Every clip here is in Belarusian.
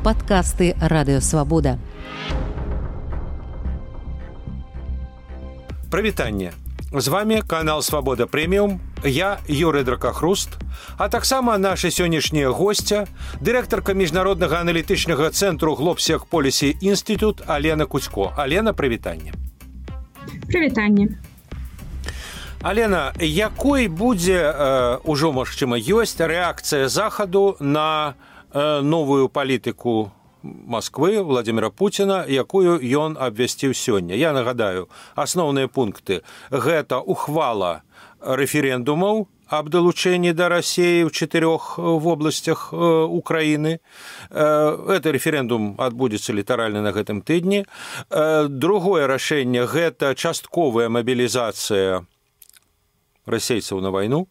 Падкасты Радыёвабода. Прывітанне. З вами канал Свабода Прэміум, я Юрый Дракахруст, а таксама наша сённяшняя госця, дырэктарка міжнароднага аналітычнага цэнтру Глобсех Полісі Інстытут Алена Куцько. Алена, прывітанне. Прывітанне. Алена, якой будзе, ужо, магчыма, ёсць рэакцыя Захаду на новую палітыку Москвы Владимира Путина, якую ён абвясціў сёння? Я нагадаю, асноўныя пункты. Гэта ухвала рэферэндумаў аб далучэнні да Расіі ў 4 вобласцях Украіны. Гэты рэферэндум адбудзецца літаральна на гэтым тыдні. Другое рашэнне – гэта частковая мабілізацыя расейцаў на вайну.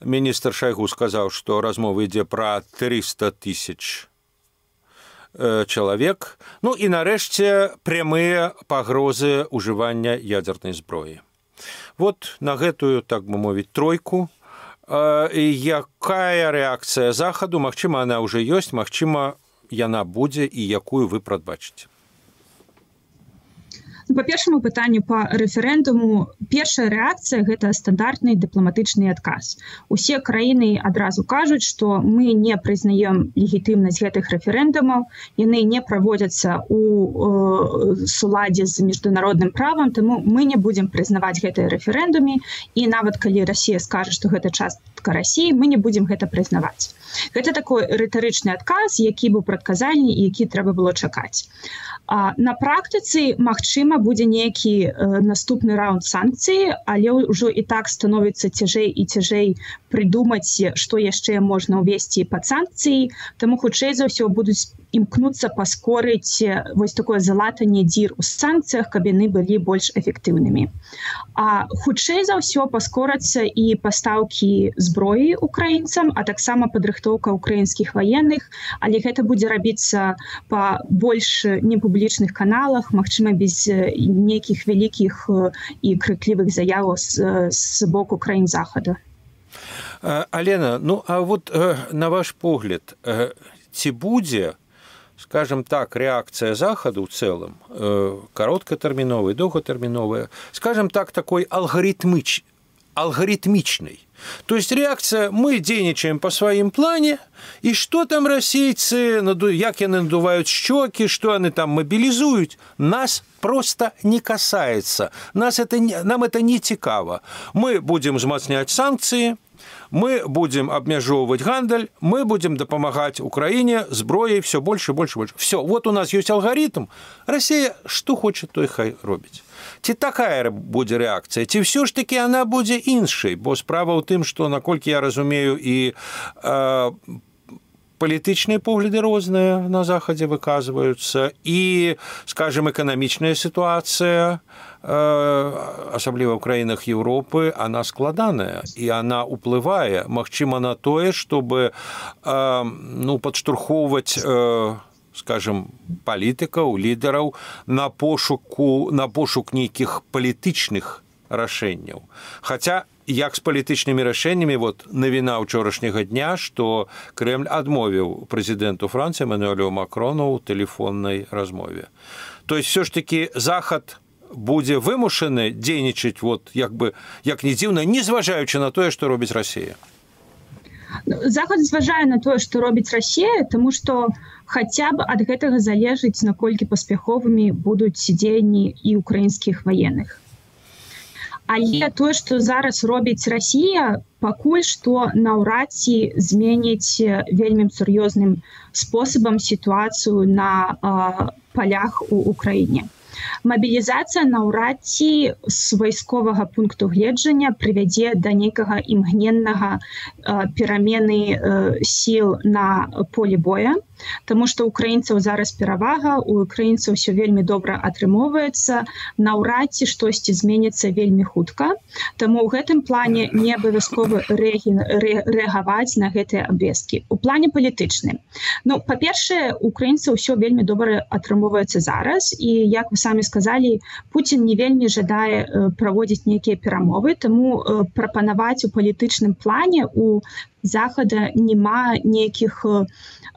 Міністр Шайгу сказаў, што размова ідзе пра 300 000 чалавек. Ну і нарэшце прямыя пагрозы ўжывання ядзернай зброі. Вот на гэтую, так бы мовіць, тройку. Якая рэакцыя Захаду? Магчыма, она ўжо ёсць, магчыма, яна будзе і якую вы прадбачыце? Па першаму пытанню па рэферэндуму, першая рэакцыя – гэта стандартны дыпламатычны адказ. Усе краіны адразу кажуць, што мы не прызнаем легітымнасць гэтых рэферэндумаў, яны не праводзяцца ў суладзе з міжнародным правам, таму мы не будзем прызнаваць гэтыя рэферэндумы, і нават калі Расія скажа, што гэта частка Расіі, мы не будзем гэта прызнаваць. Гэта такой рытарычны адказ, які быў прадказальны і які трэба было чакаць. На практыцы, магчыма, будзе нейкі наступны раунд санкцый, але ўжо і так становіцца цяжэй і цяжэй прыдумаць, што яшчэ можна ўвесці пад санкцыі, таму хутчэй за ўсё будуць імкнуцца паскорыць вось такое залатанне дзір у санкцыях, каб яны былі больш эфектыўнымі. А хутчэй за ўсё паскорацца і пастаўкі зброі украінцам, а таксама падрыхтоўка украінскіх ваенных, але гэта будзе рабіцца па больш непублічных каналах, магчыма, без нейкіх вялікіх і крыклівых заяваў з боку краін Захаду. Алена, ну а вот на ваш погляд, ці будзе, скажем так, реакция Захода в целом, короткотерминовая, долготерминовая, скажем так, такой алгоритмичной. То есть реакция, мы денежаем по своим плане, и что там российцы, як яны надувают щеки, что они там мобилизуют, нас просто не касается. Нам это не цікаво. Мы будем взмацнять санкции, мы будем обмежевывать гандаль, мы будем допомагать Украине зброей все больше и больше и больше. Все, вот у нас есть алгоритм. Россия что хочет, то и хай робить. Ці такая будзе рэакцыя, ці ўсё ж такі яна будзе іншай, бо справа ў тым, што, наколькі я разумею, і палітычныя погляды розныя на Захадзе выказваюцца, і, скажем, эканамічная сітуацыя, асабліва ў краінах Еўропы, она складаная, і она ўплывае, магчыма, на тое, чтобы падштурхоўваць, скажем, палітыкаў, лідараў на пошук нейкіх палітычных рашэнняў. Хаця, як з палітычнымі рашэннямі, вот навіна ўчорашняга дня, што Крэмль адмовіў прэзідэнту Францыі Эмануэлю Макрону ў тэлефоннай размове. То есть, все ж таки, Захад будзе вымушаны дзейнічаць, вот, як не дзіўна, не зважаючы на тое, што робіць Расія. Захад зважае на тое, што робіць Расія, таму што хаця б ад гэтага залежыць, наколькі паспяховымі будуць дзеянні і украінскіх ваенных. Але тое, што зараз робіць Расія, пакуль што наўрад ці зменіць вельмі сур'ёзным спосабам сітуацыю на палях у Украіне. Мабілізацыя наўрад ці з вайсковага пункту гледжання прывядзе да нейкага імгненнага перамены сіл на полі боя, таму што ў украінцаў зараз перавага, у украінцаў ўсё вельмі добра атрымоўваецца, наўрад ці штосьці зменіцца вельмі хутка, таму ў гэтым плане не абавязкова рэагаваць на гэтыя абвесткі. У плане палітычным. Ну, па-першае, украінцаў ўсё вельмі добра атрымоўваецца зараз, і, як вы самі сказалі, Пуцін не вельмі жадае праводзіць нейкія перамовы, таму прапанаваць у палітычным плане, у захада няма нейкіх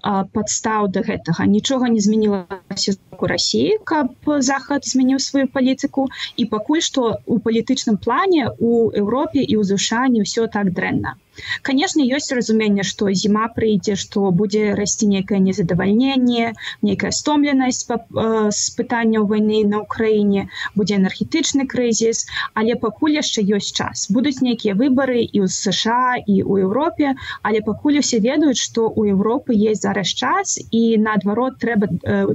падстаў да гэтага. Нічога не змянілася у Расіі, каб захад змяніў сваю палітыку, і пакуль што ў палітычным плане у Еўропе і ў ЗША не ўсё так дрэнна. Канешне, ёсць разуменне, што зіма прыйдзе, што будзе расці нейкае незадавальненне, нейкая стомленасць з пытанняў вайны на ўкраіне, будзе энергетычны крызіс, але пакуль яшчэ ёсць час. Будуць нейкія выбары і ў США, і ў Еўропе, але пакуль усе ведаюць, што ў Еўропы есть зараз час, і наадварот трэба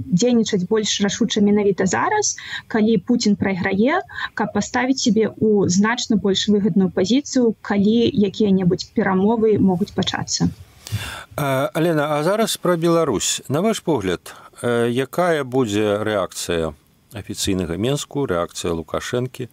дзейнічаць больш рашуча менавіта зараз, калі Пуцін прайграе, каб паставіць сябе ў значна больш выгадную пазіцыю, калі якія-небудзь перамовы могуць пачацца. Алена, а зараз пра Беларусь. На ваш погляд, якая будзе рэакцыя афіцыйнага Менску, рэакцыя Лукашэнкі?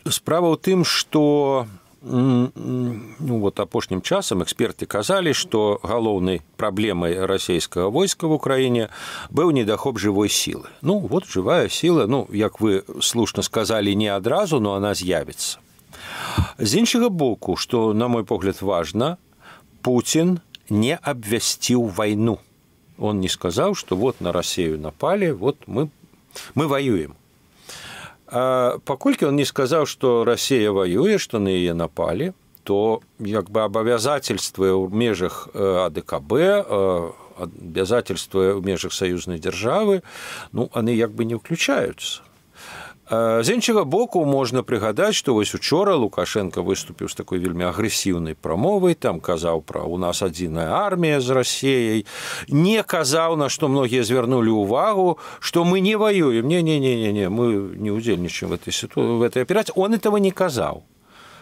Справа ў тым, што апошнім часам эксперты казалі, што галоўнай праблемай расійскага войска в Украіне быў недахоп жывой сілы. Жывая сіла, як вы слушна сказалі, не адразу, но она з'явіцца. З іншага боку, што, на мой погляд, важна, Путін не абвясціў вайну. Он не сказаў, што на Расію напалі, мы воюем. Паколькі он не сказаў, што Расія воюе, што на яе напалі, то абавязательствы ў межах АДКБ, абавязательствы ў межах саюзнай дзяржавы, яны не ўключаюцца. З іншага боку, можна прыгадаць, што учора Лукашенко выступіў з такой вельмі агрэсіўнай прамовай, там казаў пра «у нас адзіная армія з Расіяй», не казаў, на што многія звярнулі ўвагу, што мы не воюем, не, мы не удзельнічаем в этой операцыі. Он этого не казаў.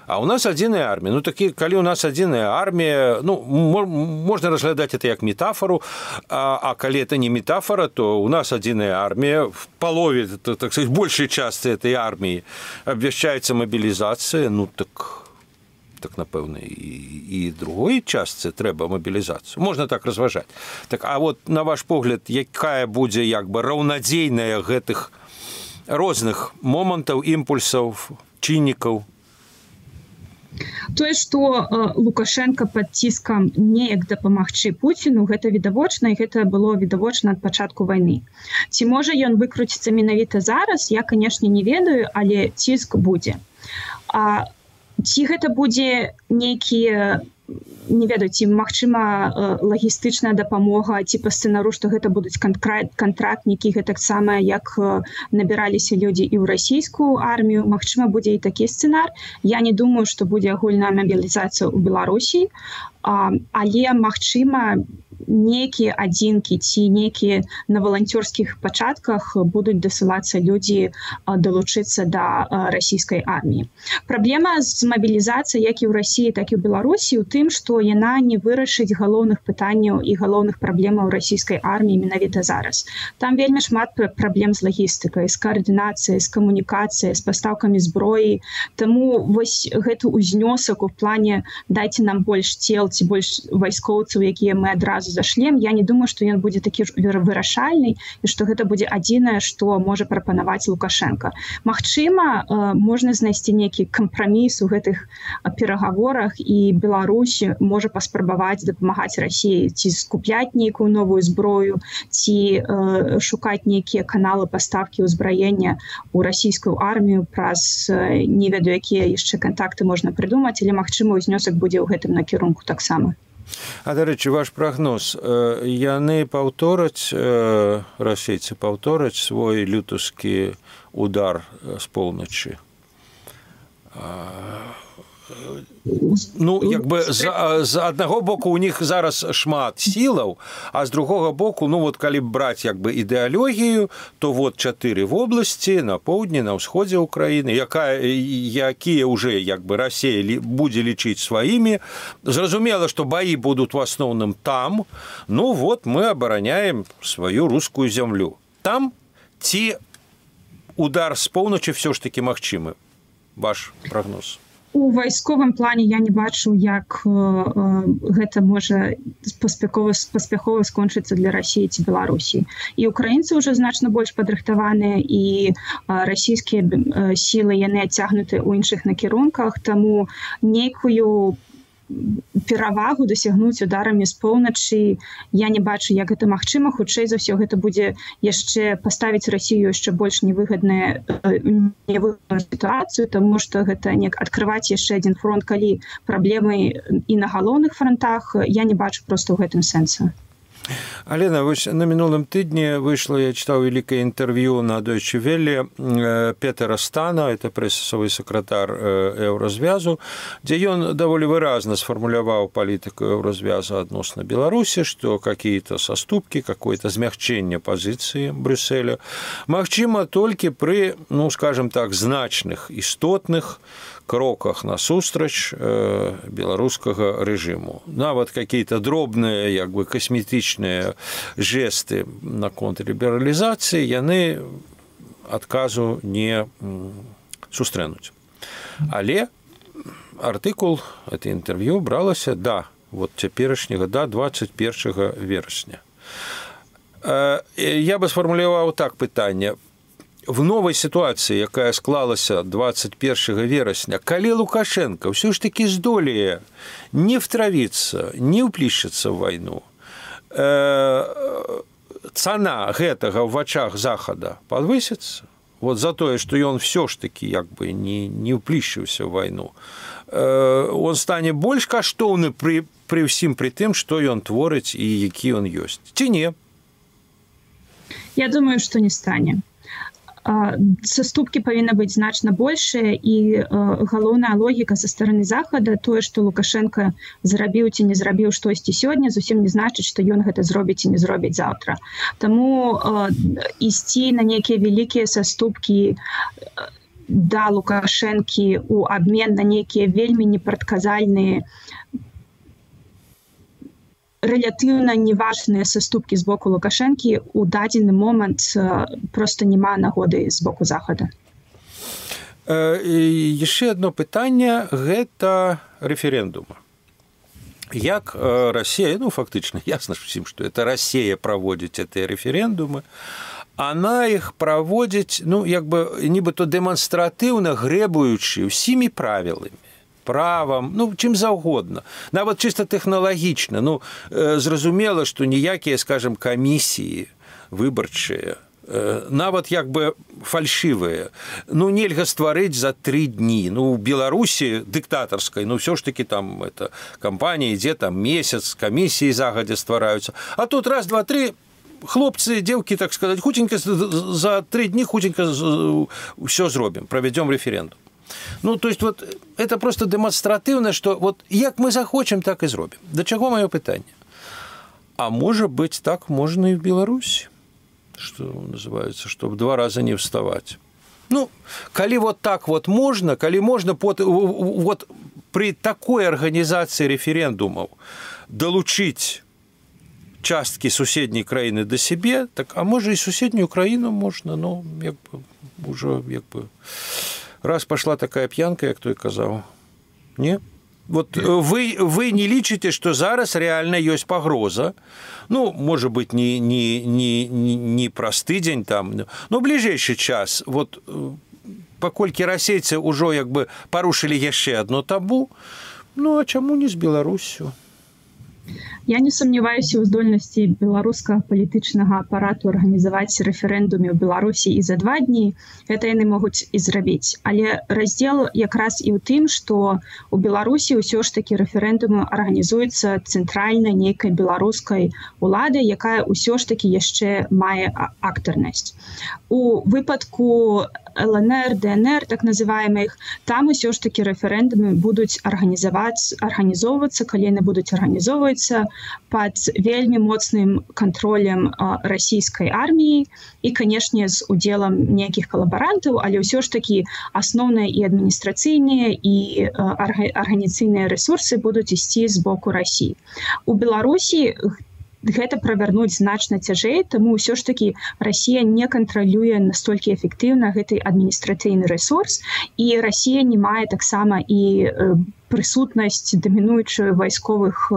А у нас адзіная армія. Калі у нас адзіная армія, можна разглядаць это як метафору, а калі это не метафора, то у нас адзіная армія, в палове, так сказать, большай частцы этой арміі абвяшчаецца мабілізацыя, так напэўна, і другой частцы трэба мабілізацыю. Можна так разважаць. А на ваш погляд, якая будзе раўнадзейная гэтых розных момантаў, імпульсаў, чыннікаў? Тое, што Лукашенко пад ціскам неяк дапамагчы Пуціну, гэта відавочна, і гэта было відавочна ад пачатку вайны. Ці можа ён выкруціцца менавіта зараз, я, канешне, не ведаю, але ціск будзе. Ці гэта будзе нейкія, не ведаю, ці магчыма лагістычная дапамога, ці па сцэнару, што гэта будуць кантрактнікі, гэтаксама як набіраліся людзі і ў расійскую армію, магчыма, будзе і такі сцэнар. Я не думаю, што будзе агульная мабілізацыя ў Беларусі, але магчыма, нейкія адзінкі ці нейкія на валанцёрскіх пачатках будуць дасылацца людзі далучыцца да расійскай арміі. Праблема з мабілізацыяй як і ў Расіі, так і ў Беларусі ў тым, што яна не вырашыць галоўных пытанняў і галоўных праблемаў расійскай арміі менавіта зараз. Там вельмі шмат праблем з лагістыкай, з каардынацыяй, з камунікацыяй, з пастаўкамі зброі. Таму гэты ўзнёсак у плане «дайце нам больш цел» ці больш вайскоўцаў, якія мы адразу зашлем, я не думаю, што ён будзе такі вырашальны і што гэта будзе адзінае, што можа прапанаваць Лукашенко. Магчыма, можна знайсці нейкі кампраміс у гэтых перагаворах, і Беларусь можа паспрабаваць дапамагаць Расіі, ці скупляць нейкую новую зброю, ці шукаць нейкія каналы пастаўкі ўзбраення ў расійскую армію праз не ведаю, якія яшчэ кантакты можна прыдумаць, але магчыма, ўзнёсак будзе ў гэтым накірунку таксама. А, дарэчы, ваш прагноз, яны паўтораць, расейцы паўтораць свой лютаўскі удар з поўначы? З аднаго боку у них зараз шмат сілаў, а з другога боку, калі браць ідэалогію, то 4 вобласці на поўдні, на ўсходзе Украіны, якія ўжо Расія будзе лічыць сваімі. Зразумела, што баі будуць в асноўным там. Мы абараняем сваю рускую зямлю. Там ці удар з поўначы ўсё ж такі магчымы? Ваш прагноз? У вайсковым плане я не бачу, як гэта можа паспяхова скончыцца для Расіі ці Беларусі. І украінцы ўжо значна больш падрыхтаваныя, і расійскія сілы яны адцягнуты ў іншых накірунках, таму нейкую перавагу дасягнуць ударамі з поўначы. Я не бачу, як гэта магчыма. Хутчэй за ўсё гэта будзе яшчэ паставіць Расію яшчэ больш невыгадную сітуацыю, таму што гэта не адкрываць яшчэ адзін фронт, калі праблемы і на галоўных фронтах, я не бачу проста ў гэтым сэнсу. Алена, на мінулым тыдні выйшла, я чытаў вялікае інтэрв'ю на Deutsche Welle Петера Стана, это прэсавы сакратар Еўразвязу, дзе ён даволі выразна сфармуляваў палітыку Еўразвяза адносна Беларусі, што какие-то саступкі, какое-то змягчэнне пазіцыі Брюсселя магчыма толькі пры, ну, скажем так, значных, істотных кроках насустрач беларускага рэжыму. Нават какие-то дробныя, як бы касметычныя жесты наконт лібералізацыі яны адказу не сустрэнуць. Але артыкул, это інтэрв'ю бралася да вот цяперашняга, да 21 верасня. Я бы сфармуляваў так пытанне. В новой ситуации, якая склалася 21 верасня, калі Лукашенко все ж таки здолее не втравіцца, не ўплішчыцца ў вайну, цана гэтага ў вачах Захада падвысіцца, вот за тое, што ён все ж таки як бы не ўплішчыўся ў вайну, он стане больш каштоўны пры ўсім пры тым, што ён творыць і які ён ёсць. Ці не? Я думаю, што не стане. Саступкі павінны быць значна большыя, і галоўная логіка са стороны Захада, тое, што Лукашенко зрабіў ці не зрабіў штосьці сёння, зусім не значыць, што ён гэта зробіць і не зробіць заўтра. Таму ісці на нейкія вялікія саступкі да Лукашэнкі ў абмен на нейкія вельмі непрадказальныя, рэлятыўна неважныя саступкі з боку Лукашэнкі ў дадзены момант проста няма нагоды з боку Захада. Яшчэ одно пытанне – гэта рэферэндума. Як Расія, ну фактычна ясна ўсім, што это Расія праводзіць гэтыя рэферэндумы, она іх праводзіць, ну як бы нібыта дэманстратыўна грэбуючы ўсімі правіламі, правам, ну, чым заўгодна. Нават чыста тэхналагічна. Ну, зразумела, што ніякія, скажем, камісіі выбарчыя, нават як бы фальшывыя, ну, нельга стварыць за 3 дні. Ну, у Беларусі дыктатарскай, ну, ўсё ж такі там это кампанія ідзе там месяц, камісіі загадзя ствараюцца. А тут раз, два, три, хлопцы, дзеўкі, так сказаць, хутенька за 3 дні хутенька ўсё зробім, правядзём рэферэндум. Ну, то есть, вот, это просто демонстративно, что вот як мы захочем, так и зробим. До чего мое питание? А может быть, так можно и в Беларуси, что называется, чтобы 2 раза не вставать. Ну, коли вот так вот можно, коли можно вот при такой организации референдумов долучить частки суседней краины до себе, так, а может и суседнюю Украину можно, ну, як бы, уже, як бы... Раз пошла такая пьянка, як той казаў. Не? Вот вы не лічыце, што зараз реально ёсць пагроза. Ну, может быть, не праз тыдзень там, но бліжэйшы час. Вот паколькі расейцы ўжо як бы парушылі яшчэ одно табу, ну, а чаму не з Беларусю? Я не сумняваюся ў здольнасці беларускага палітычнага апарату арганізаваць рэферэндуме ў Беларусі і за 2 дні. Гэта яны могуць і зрабіць. Але раздзел якраз і ў тым, што ў Беларусі ўсё ж такі рэферэндумы арганізуецца цэнтральнай нейкай беларускай уладай, якая ўсё ж такі яшчэ мае актарнасць. У выпадку ЛНР, ДНР, так называемых, там ўсё ж такі рэферэндумы будуць арганізоўвацца, калі яны будуць арганізоўвацца пад вельмі моцным кантролем расійскай арміі і, канешне, з удзелам нейкіх калабарантаў, але ўсё ж такі асноўныя і адміністрацыйныя і арганіцыйныя рэсурсы будуць ісці з боку Расіі. У Беларусі гэта правярнуць значна цяжэй, таму ўсё ж такі Расія не кантралюе настолькі эфектыўна гэты адміністрацыйны рэсурс, і Расія не мае таксама і прысутнасць дамінуючую вайсковых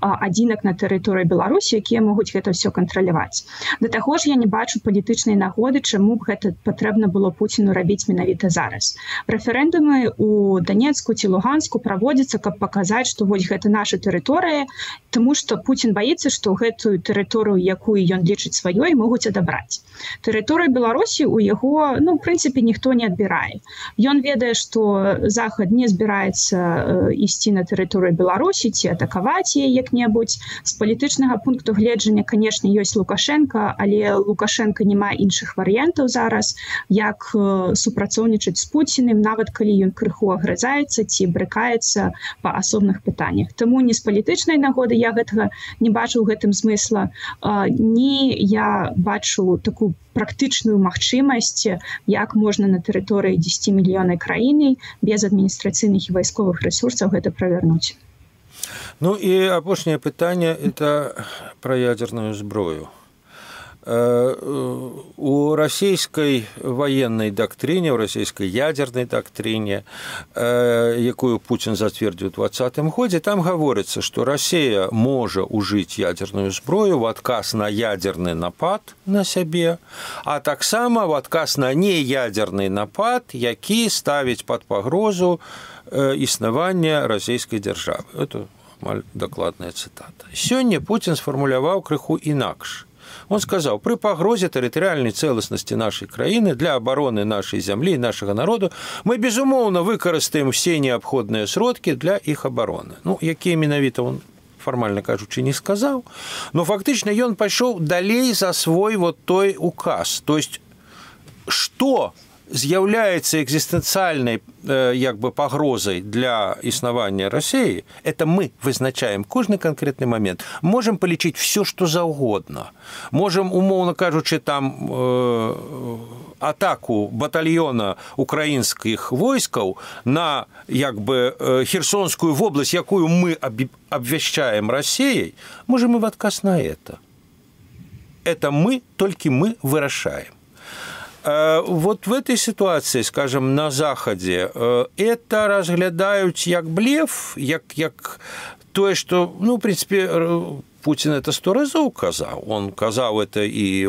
адзінак на тэрыторыі Беларусі, якія могуць гэта ўсё кантраляваць. Да таго ж я не бачу палітычнай нагоды, чаму б гэта патрэбна было Пуціну рабіць менавіта зараз. Рэферэндумы у Данецку ці Луганску праводзяцца, каб паказаць, што вось гэта наша тэрыторыя, таму што Пуцін баіцца, што гэтую тэрыторыю, якую ён лічыць сваёй, могуць адабраць. Тэрыторыю Беларусі у яго, в прынцыпе, ніхто не адбірае. Ён ведае, што Захад не збіраецца ісці на тэрыторыю Беларусі ці атакаваць яе як-небудзь. З палітычнага пункту гледжання, канешне, ёсць Лукашенко, але Лукашенко не мае іншых варыянтаў зараз, як супрацоўнічаць з Пуціным, нават калі ён крыху агрызаецца ці брыкаецца па асобных пытаннях. Таму ні з палітычнай нагоды я гэтага не бачу ў гэтым змысла, ні я бачу такую практычную магчымасць, як можна на тэрыторыі 10 мільёнаў краіны без адміністрацыйных і вайсковых рэсурсаў гэта правярнуць. Ну і апошняе пытанне – это пра ядерную зброю. У расійскай военной доктрине, у расійскай ядерной доктрине, якую Путин затвердил в 2020 году, там говорится, что Россия может ужить ядерную зброю в отказ на ядерный напад на себе, а так само в отказ на неядерный напад, який ставить под погрозу існавання расійскай державы. Это докладная цитата. Сегодня Путин сформулировал крыху инакш. Он сказал, при погрозе территориальной целостности нашей краины для обороны нашей земли и нашего народа мы, безумовно, выкарыстаем все необходные сродки для их обороны. Ну, якія менавіта он формально кажучи не сказал, но фактично он пошел далей за свой вот той указ. То есть, что з'яўляецца экзістэнцыяльнай пагрозай для існавання России, это мы вызначаем кожны конкретный момент. Можем полічыць все, что заўгодна. Можем, умоўно кажучи, там атаку батальона украінскіх войскаў на Херсонскую область, якую мы обвящаем Россией, можем и в отказ на это. Это мы, только мы вырашаем. Вот в этой ситуации, скажем, на Заходе, это разглядают как блеф, как то, что, в принципе, Путин это 100 разов казал. Он казал это и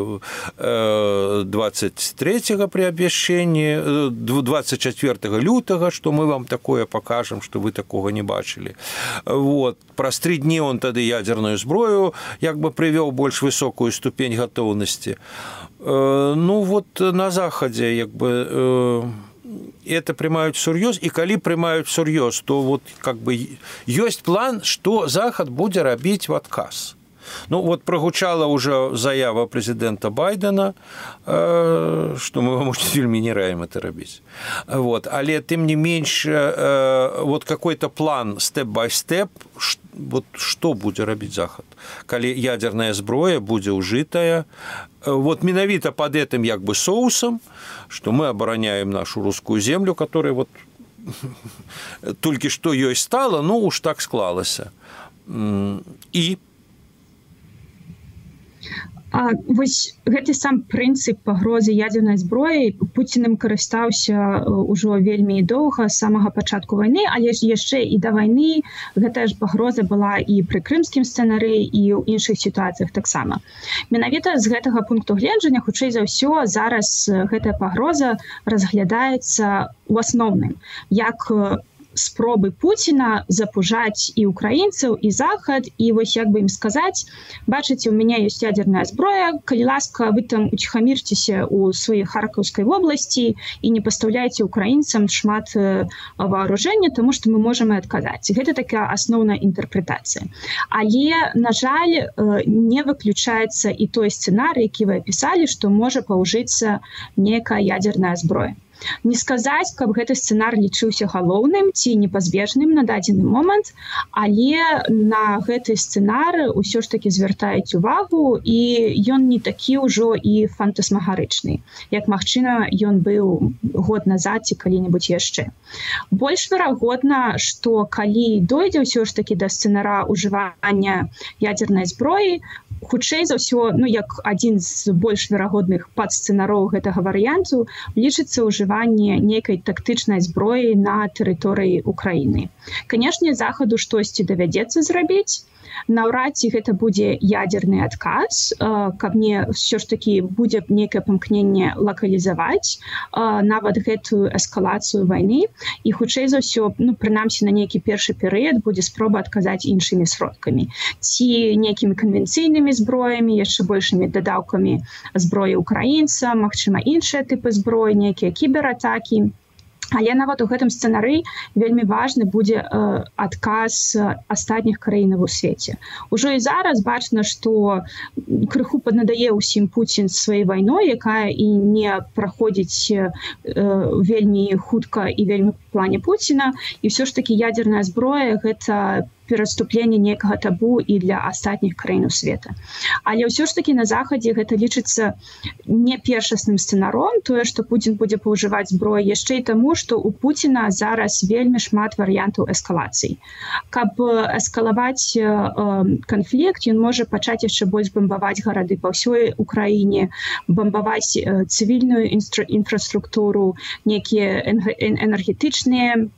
23-го при обвящении, 24 лютого, что мы вам такое покажем, что вы такого не бачили. Вот. Праз 3 дні он тогда ядерную зброю привел больш высокую ступень готовности. Ну, вот на Заходе это прымаюць всерьез, и калі прымаюць всерьез, то вот есть план, что Захад будзе рабіць в отказ. Ну, вот прогучала уже заява президента Байдена, что мы вам очень вельмі не раім это рабіць. Вот. Але тым не менш, вот какой-то план степ-бай-степ, вот что будзе рабіць Захад, калі ядерная зброя будзе ўжытая, вот менавіта под этим соусом, что мы обороняем нашу русскую землю, которая вот только что ёй стала, ну уж так склалася. И вось гэты сам прынцып пагрозы ядзернай зброі Пуцінам карыстаўся ўжо вельмі доўга з самага пачатку вайны, але ж яшчэ і да вайны гэтая ж пагроза была і пры крымскім сцэнарыі, і ў іншых сітуацыях таксама. Менавіта з гэтага пункту гледжання, хутчэй за ўсё, зараз гэтая пагроза разглядаецца ў асноўным як спробы Пуціна запужаць і украінцаў, і Захад, і вось ім сказаць, бачыце, у мяне ёсць ядерная зброя, калі ласка, вы там уціхамірцеся ў сваёй Харкаўскай вобласці і не пастаўляйце украінцам шмат вооруження, таму што мы можам і адказаць. Гэта такая асноўная інтэрпрэтацыя. Але, на жаль, не выключаецца і той сцэнарый, які вы апісалі, што можа паўжыцца некая ядерная зброя. Не сказаць, каб гэты сцэнар лічыўся галоўным ці непазбежным на дадзены момант, але на гэты сцэнар усё ж такі звяртаюць увагу, і ён не такі ўжо і фантасмагарычны, як, магчыма, ён быў год назад ці калі-небудзь яшчэ. Больш верагодна, што калі дойдзе ўсё ж такі да сцэнара ўжывання ядзернай зброі, хутчэй за ўсё, як адзін з больш верагодных падсцэнароў гэтага варыянту, лічыцца ўжыванне выкарыстанне нейкай тактычнай зброі на тэрыторыі Украіны. Канешне, захаду штосьці давядзецца зрабіць. Наўрад ці гэта будзе ядерны адказ, каб не ўсё ж такі будзе нейкае памкненне лакалізаваць нават гэтую эскалацыю вайны, і хутчэй за ўсё, прынамсі на нейкі першы перыяд будзе спроба адказаць іншымі сродкамі. Ці нейкімі канвенцыйнымі зброямі, яшчэ большымі дадаўкамі зброі украінца, магчыма, іншыя тыпы зброі, нейкія кібератакі. Але нават у гэтым сцэнарыі вельмі важны будзе адказ астатніх краінаў у свеце. Ужо і зараз бачна, што крыху паднадае ўсім Пуцін сваёй вайной, якая і не праходзіць вельмі хутка і вельмі в плане Пуціна. І ўсё ж такі ядерная зброя – гэта пераступленне некага табу і для астатніх краінаў света. Але ўсё ж такі на захадзе гэта лічыцца не першасным сцэнаром, тое, што Пуцін будзе паўжываць зброю, яшчэ і таму, што у Пуціна зараз вельмі шмат варыянтаў эскалацый. Каб эскалаваць канфлікт, ён можа пачаць яшчэ больш бамбаваць гарады па ўсёй Украіне, бамбаваць цывільную інфраструктуру, нейкія энергетычныя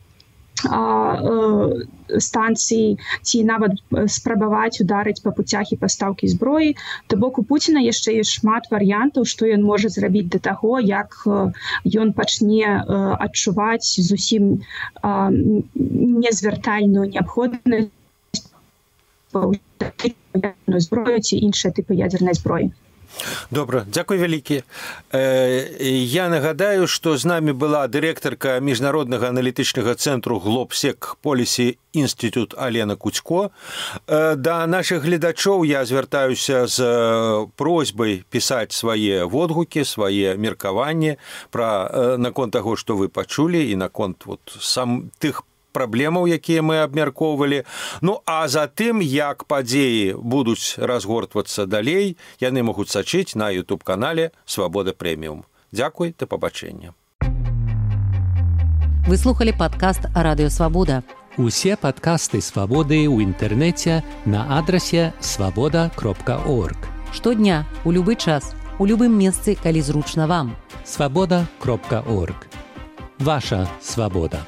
станцыі, ці нават спрабаваць ударыць па пуцях і пастаўкі зброі. То бок у Пуціна яшчэ ёсць шмат варыянтаў, што ён можа зрабіць да таго, як ён пачне адчуваць зусім незвяртальную неабходнасць зброю ці іншыя тыпы ядернай зброі. Добра, дзякуй вялікі. Я нагадаю, што з намі была дырэктарка міжнароднага аналітычнага цэнтру Глобсек Policy Institute Алена Куцько. Да нашых гледачоў я звяртаюся з просьбай пісаць свае водгукі, свае меркаванні наконт таго, што вы пачулі, і наконт тых праблемаў, якія мы абмяркоўвалі. А затым, як падзеі будуць разгортвацца далей, яны могуць сачыць на YouTube-канале «Свабода Прэміум». Дзякуй, да пабачэння. Вы слухали падкаст «Радыё Свабода». Усе падкасты «Свабоды» ў інтэрнэце на адрасе свабода.орг. Штодня, у любы час, у любым месцы, калі зручна вам. Свабода.орг. Ваша свабода.